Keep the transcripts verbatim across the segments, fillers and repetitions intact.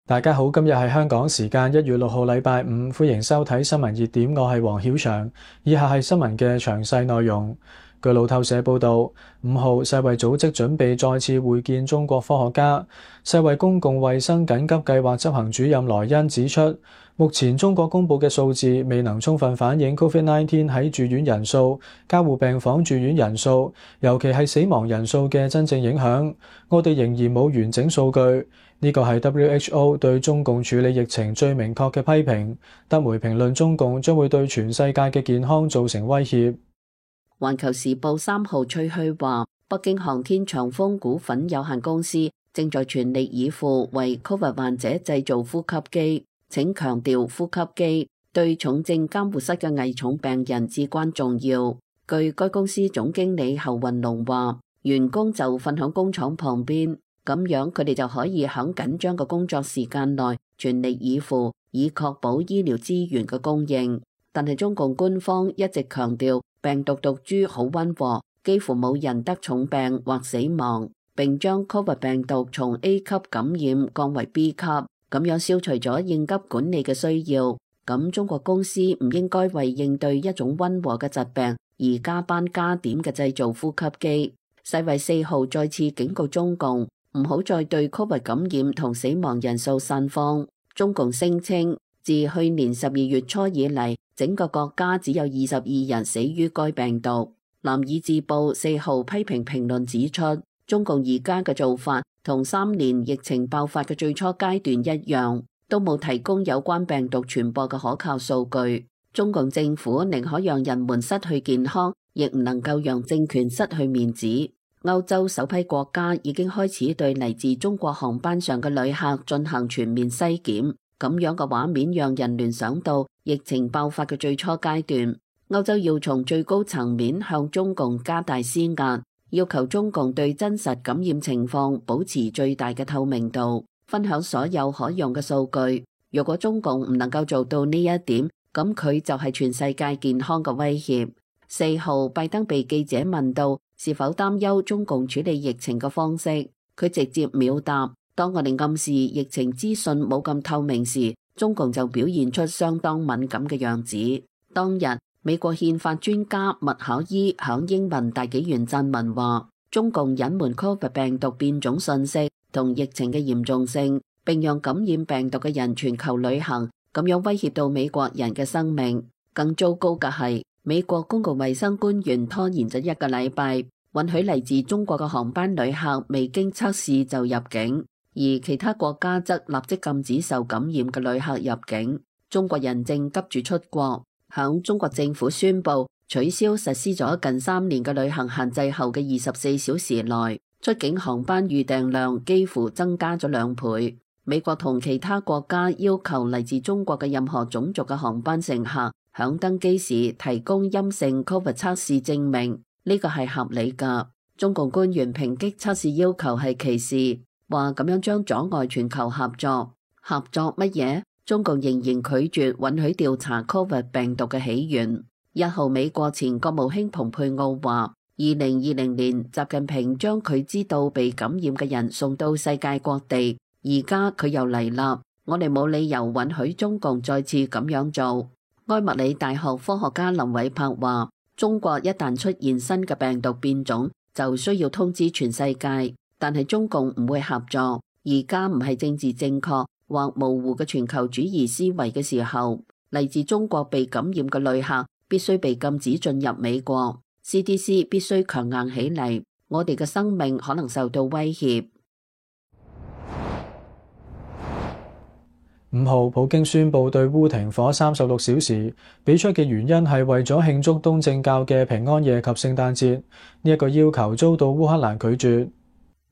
大家好，今日係香港時間一月六號禮拜五，歡迎收睇新聞熱點，我係黃曉翔。以下係新聞嘅詳細內容。據路透社報道，五號世衛組織準備再次會見中國科學家。世衛公共衛生緊急計劃執行主任萊恩指出，目前中國公佈嘅數字未能充分反映 Covid 十九 喺住院人數、加護病房住院人數，尤其係死亡人數嘅真正影響。我哋仍然冇完整數據。呢個係 W H O 對中共處理疫情最明確嘅批評。德媒評論中共將會對全世界嘅健康造成威脅。環球時報三號吹噓話，北京航天長風股份有限公司正在全力以赴為 Covid 患者製造呼吸機。請強調呼吸機對重症監護室嘅危重病人至關重要。據該公司總經理侯雲龍話，員工就瞓響工廠旁邊。咁樣佢哋就可以喺緊張嘅工作時間內全力以赴，以確保醫療資源嘅供應。但係中共官方一直強調病毒毒株好溫和，幾乎冇人得重病或死亡，並將 Covid 病毒從 A 級感染降為 B 級，咁樣消除咗應急管理嘅需要。咁中國公司唔應該為應對一種溫和嘅疾病而加班加點嘅製造呼吸機。世衛四號再次警告中共，唔好再對 Covid 感染同死亡人數散謊。中共聲稱，自去年十二月初以嚟，整個國家只有二十二人死於該病毒。南爾智報四號批評評論指出，中共而家嘅做法同三年疫情爆發嘅最初階段一樣，都冇提供有關病毒傳播嘅可靠數據。中共政府寧可讓人們失去健康，亦唔能夠讓政權失去面子。歐洲首批國家已經開始對嚟自中國航班上嘅旅客進行全面篩檢，咁樣嘅畫面讓人聯想到疫情爆發嘅最初階段。歐洲要從最高層面向中共加大施壓，要求中共對真實感染情況保持最大嘅透明度，分享所有可用嘅數據。如果中共唔能夠做到呢一點，咁佢就係全世界健康嘅威脅。四號，拜登被記者問到是否擔憂中共處理疫情嘅方式，佢直接秒答：當我哋暗示疫情資訊冇咁透明時，中共就表現出相當敏感嘅樣子。當日，美國憲法專家麥考伊響英文大紀元撰文話，中共隱瞞 Covid 病毒變種信息同疫情嘅嚴重性，並讓感染病毒嘅人全球旅行，咁樣威脅到美國人嘅生命。更糟糕嘅係，美國公共衛生官員拖延咗一個禮拜，允許嚟自中國嘅航班旅客未經測試就入境，而其他國家則立即禁止受感染嘅旅客入境。中國人正急住出國。響中國政府宣布取消實施咗近三年嘅旅行限制後嘅二十四小時內，出境航班預訂量幾乎增加咗兩倍。美國同其他國家要求嚟自中國嘅任何種族嘅航班乘客響登機時提供陰性 Covid 測試證明，呢個係合理㗎。中共官員抨擊測試要求係歧視，話咁樣將阻礙全球合作。合作乜嘢？中共仍然拒絕允許調查 Covid 病毒嘅起源。一號，美國前國務卿蓬佩奧話，二零二零年習近平將佢知道被感染嘅人送到世界各地，而家佢又嚟啦，我哋冇理由允許中共再次咁樣做。埃默里大學科學家林偉柏話，中國一旦出現新嘅病毒變種，就需要通知全世界，但係中共唔會合作。而家唔係政治正確或模糊嘅全球主義思維嘅時候，嚟自中國被感染嘅旅客必須被禁止進入美國。C D C 必須強硬起嚟，我哋嘅生命可能受到威脅。五號，普京宣布對烏停火三十六小時，俾出嘅原因係為咗慶祝東正教嘅平安夜及聖誕節。呢一個要求遭到烏克蘭拒絕。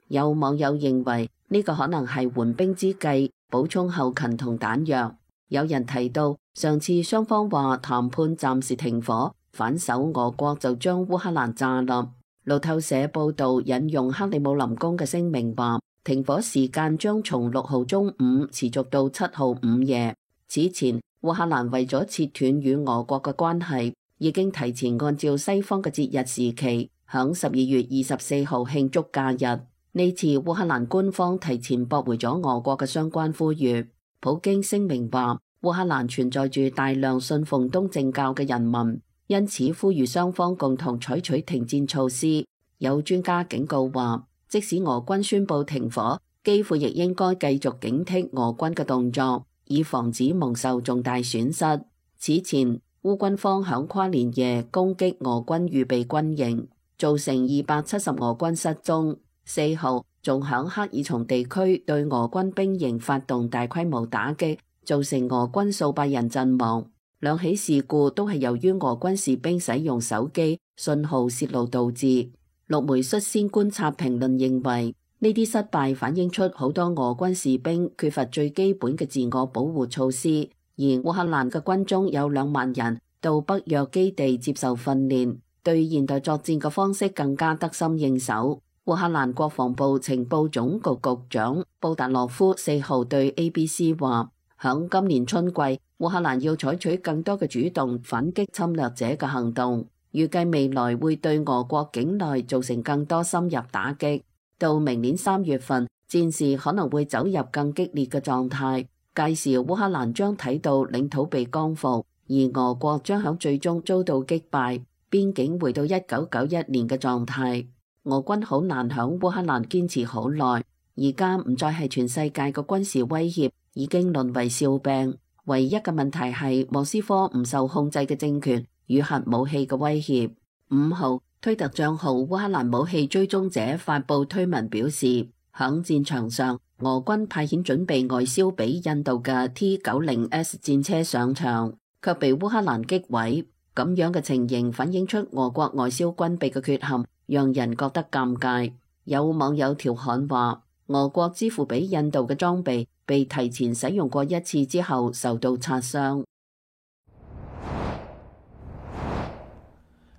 有網友認為呢個可能係緩兵之計，補充後勤同彈藥。有人提到上次雙方話談判暫時停火，反手俄國就將烏克蘭炸冧。路透社報道引用克里姆林宮嘅聲明話，停火時間將從六號中午持續到七號午夜。此前，烏克蘭為咗切斷與俄國嘅關係，已經提前按照西方嘅節日時期，響十二月二十四號慶祝假日。呢次烏克蘭官方提前駁回咗俄國嘅相關呼籲。普京聲明話，烏克蘭存在住大量信奉東正教嘅人民，因此呼籲雙方共同採取停戰措施。有專家警告話，即使俄軍宣布停火，基輔亦應該繼續警惕俄軍嘅動作，以防止蒙受重大損失。此前，烏軍方響跨年夜攻擊俄軍預備軍營，造成二百七十俄軍失蹤。四號仲響克爾松地區對俄軍兵營發動大規模打擊，造成俄軍數百人陣亡。兩起事故都係由於俄軍士兵使用手機信號泄露導致。陸媒率先觀察評論認為，呢啲失敗反映出好多俄軍士兵缺乏最基本嘅自我保護措施，而烏克蘭嘅軍中有兩萬人到北約基地接受訓練，對現代作戰嘅方式更加得心應手。烏克蘭國防部情報總局局長布達洛夫四號對 A B C 話，響今年春季，烏克蘭要採取更多嘅主動反擊侵略者嘅行動，預計未來會對俄國境內造成更多深入打擊。到明年三月份，戰事可能會走入更激烈嘅狀態，屆時烏克蘭將睇到領土被光復，而俄國將響最終遭到擊敗，邊境回到一九九一年嘅狀態。俄軍好難響烏克蘭堅持好耐，而家唔再係全世界嘅軍事威脅，已經淪為笑柄。唯一嘅問題係莫斯科唔受控制嘅政權與核武器嘅威脅。五號，推特賬號烏克蘭武器追蹤者發布推文表示，響戰場上，俄軍派遣準備外銷俾印度嘅 T 九十 S 戰車上場，卻被烏克蘭擊毀。咁樣嘅情形反映出俄國外銷軍備嘅缺陷，讓人覺得尷尬。有網友調侃話，俄國支付俾印度嘅裝備被提前使用過一次之後受到擦傷。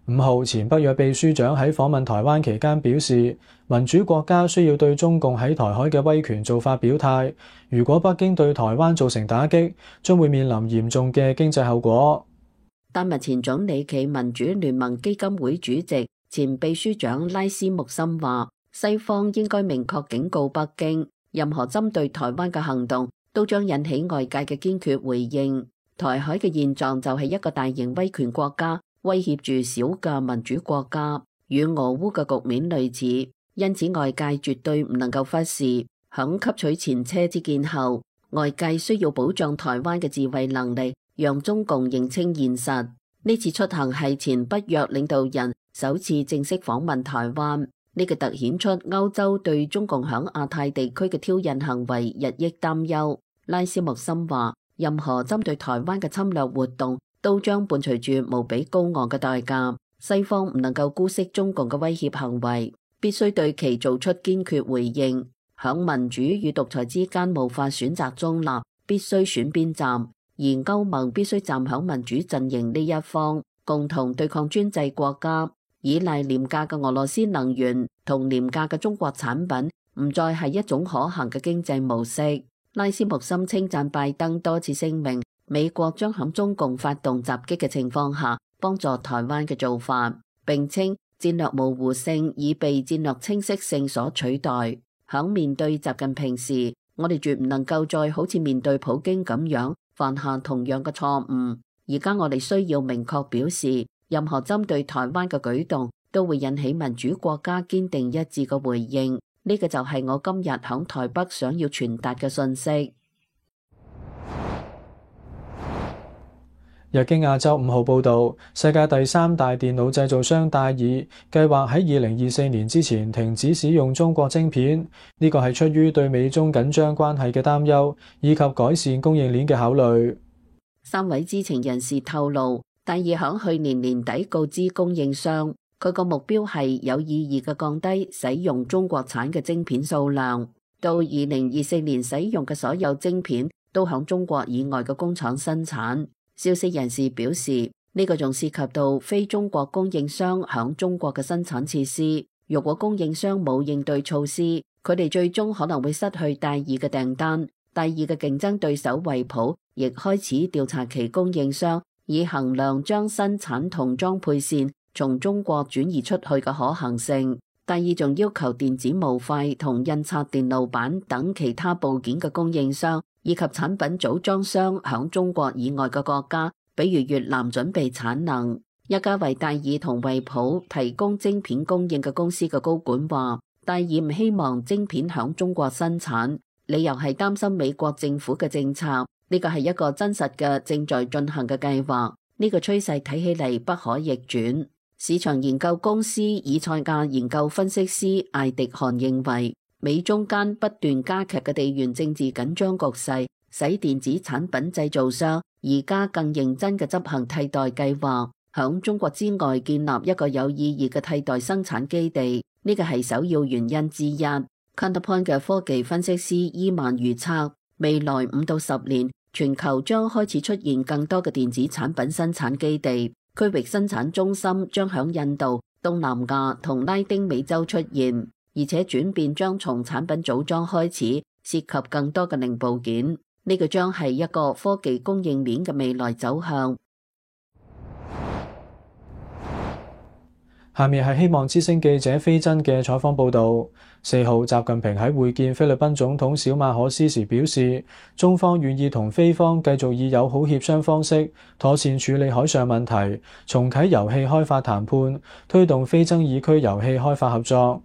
五號，前北約秘書長喺訪問台灣期間表示，民主國家需要對中共喺台海嘅威權做法表態。如果北京對台灣造成打擊，將會面臨嚴重嘅經濟後果。丹麥前總理暨民主聯盟基金會主席、前秘書長拉斯穆森話，西方應該明確警告北京，任何針對台灣嘅行動都將引起外界嘅堅決回應。台海嘅現狀就係一個大型威權國家威脅住小嘅民主國家，與俄烏嘅局面類似，因此外界絕對唔能夠忽視。響吸取前車之鑑後，外界需要保障台灣嘅自衛能力，讓中共認清現實。呢次出行係前北約領導人首次正式訪問台灣，呢個凸顯出歐洲對中共響亞太地區嘅挑釁行為日益擔憂。拉斯穆森話，任何針對台灣嘅侵略活動都將伴隨住無比高昂嘅代價。西方唔能夠姑息中共嘅威脅行為，必須對其做出堅決回應。響民主與獨裁之間無法選擇中立，必須選邊站。而歐盟必須站響民主陣營呢一方，共同對抗專制國家。依賴廉價嘅俄羅斯能源同廉價嘅中國產品，唔再係一種可行嘅經濟模式。拉斯穆森稱讚拜登多次聲明，美國將響中共發動襲擊嘅情況下幫助台灣嘅做法，並稱戰略模糊性已被戰略清晰性所取代。響面對習近平時，我哋絕唔能夠再好似面對普京咁樣犯下同樣嘅錯誤。而家我哋需要明確表示，任何針對台灣嘅舉動都會引起民主國家堅定一致嘅回應。呢個就係我今日響台北想要傳達嘅信息。日經亞洲五號報導，世界第三大電腦製造商戴爾計劃喺二零二四年之前停止使用中國晶片，呢個係出於對美中緊張關係嘅擔憂，以及改善供應鏈嘅考慮。三位知情人士透露，戴爾響去年年底告知供應商，佢個目標係有意義嘅降低使用中國產嘅晶片數量，到二零二四年使用嘅所有晶片都響中國以外嘅工廠生產。消息人士表示，呢個仲涉及到非中國供應商響中國嘅生產設施。若果供應商冇應對措施，佢哋最終可能會失去戴爾嘅訂單。戴爾嘅競爭對手惠普亦開始調查其供應商，以衡量將生產同裝配線從中國轉移出去嘅可行性。戴爾仲要求電子模塊同印刷電路板等其他部件嘅供應商以及產品組裝商響中國以外嘅國家，比如越南準備產能。一家為戴爾同惠普提供晶片供應嘅公司嘅高管話，戴爾唔希望晶片響中國生產，理由係擔心美國政府嘅政策。呢個係一個真實嘅正在進行嘅計劃，呢個趨勢睇起嚟不可逆轉。市場研究公司以賽亞研究分析師艾迪汗認為，美中間不斷加劇嘅地緣政治緊張局勢，使電子產品製造商而家更認真嘅執行替代計劃，響中國之外建立一個有意義嘅替代生產基地，呢個係首要原因之一。Counterpoint 嘅科技分析師伊曼預測，未來五到十年，全球將開始出現更多嘅電子產品生產基地，區域生產中心將響印度、東南亞同拉丁美洲出現，而且轉變將從產品組裝開始，涉及更多嘅零部件。呢個將係一個科技供應鏈嘅未來走向。下面係希望之聲記者飛珍嘅採訪報導。四號，習近平喺會見菲律賓總統小馬可斯時表示，中方願意同菲方繼續以友好協商方式妥善處理海上問題，重啟油氣開發談判，推動非爭議區油氣開發合作。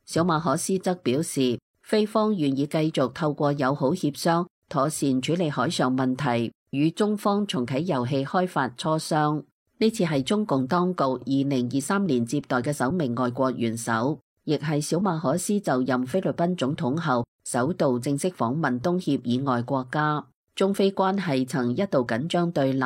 小馬可斯則表示，菲方願意繼續透過友好協商妥善處理海上問題，與中方重啟油氣開發磋商。呢次係中共當局二零二三年接待嘅首名外國元首，亦係小馬可斯就任菲律賓總統後首度正式訪問東協以外國家。中菲關係曾一度緊張對立，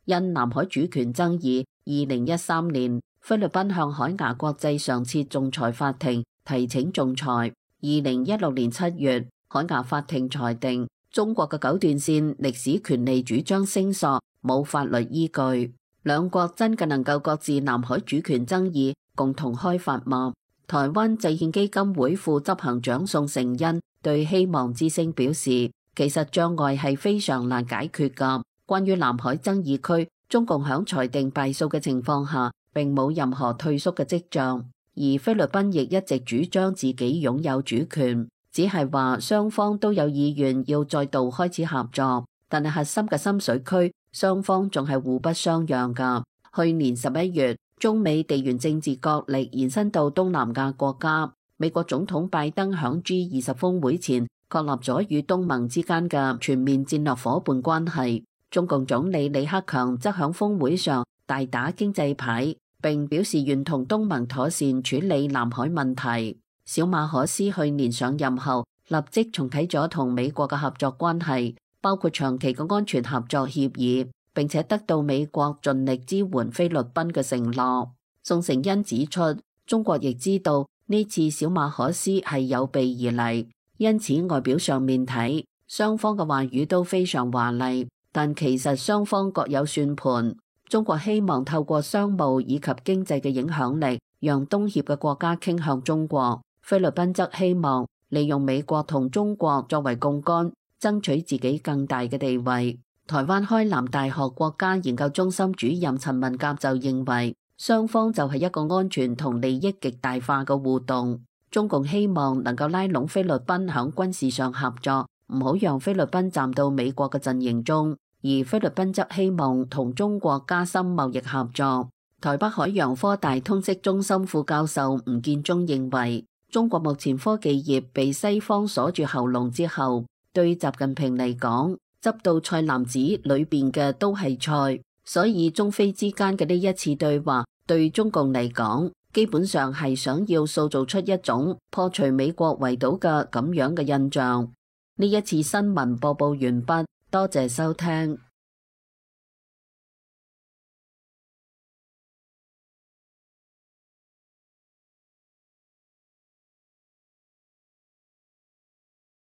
因南海主權爭議，二零一三年菲律賓向海牙國際常設仲裁法庭提請仲裁。二零一六年七月，海牙法庭裁定中國嘅九段線歷史權利主張聲索冇法律依據。兩國真嘅能夠擱置南海主權爭議，共同開發嗎？台灣制憲基金會副執行長宋承恩對希望之聲表示，其實障礙係非常難解決㗎。關於南海爭議區，中共響裁定敗訴嘅情況下，並冇任何退縮嘅跡象，而菲律賓亦一直主張自己擁有主權，只係話雙方都有意願要再度開始合作，但係核心嘅深水區，雙方仲係互不相讓噶。去年十一月，中美地緣政治角力延伸到東南亞國家。美國總統拜登響 G 二十峰會前確立咗與東盟之間嘅全面戰略夥伴關係。中共總理李克強則響峰會上大打經濟牌，並表示願同東盟妥善處理南海問題。小馬可斯去年上任後，立即重啟咗同美國嘅合作關係，包括長期嘅安全合作協議，並且得到美國盡力支援菲律賓嘅承諾。宋承恩指出，中國亦知道呢次小馬可斯係有備而嚟，因此外表上面睇，雙方嘅話語都非常華麗，但其實雙方各有算盤。中國希望透過商務以及經濟嘅影響力，讓東協嘅國家傾向中國。菲律賓則希望利用美國同中國作為槓桿，爭取自己更大嘅地位。台灣開南大學國家研究中心主任陳文甲就認為，雙方就係一個安全同利益極大化嘅互動。中共希望能夠拉攏菲律賓響軍事上合作，唔好讓菲律賓站到美國嘅陣營中，而菲律賓則希望同中國加深貿易合作。台北海洋科大通識中心副教授吳建中認為，中國目前科技業被西方鎖住喉嚨之後，對習近平嚟講，執到菜籃子裏邊嘅都係菜，所以中菲之間嘅呢一次對話，對中共嚟講，基本上係想要塑造出一種破除美國圍堵嘅咁樣嘅印象。呢一次新聞播報完畢，多謝收聽。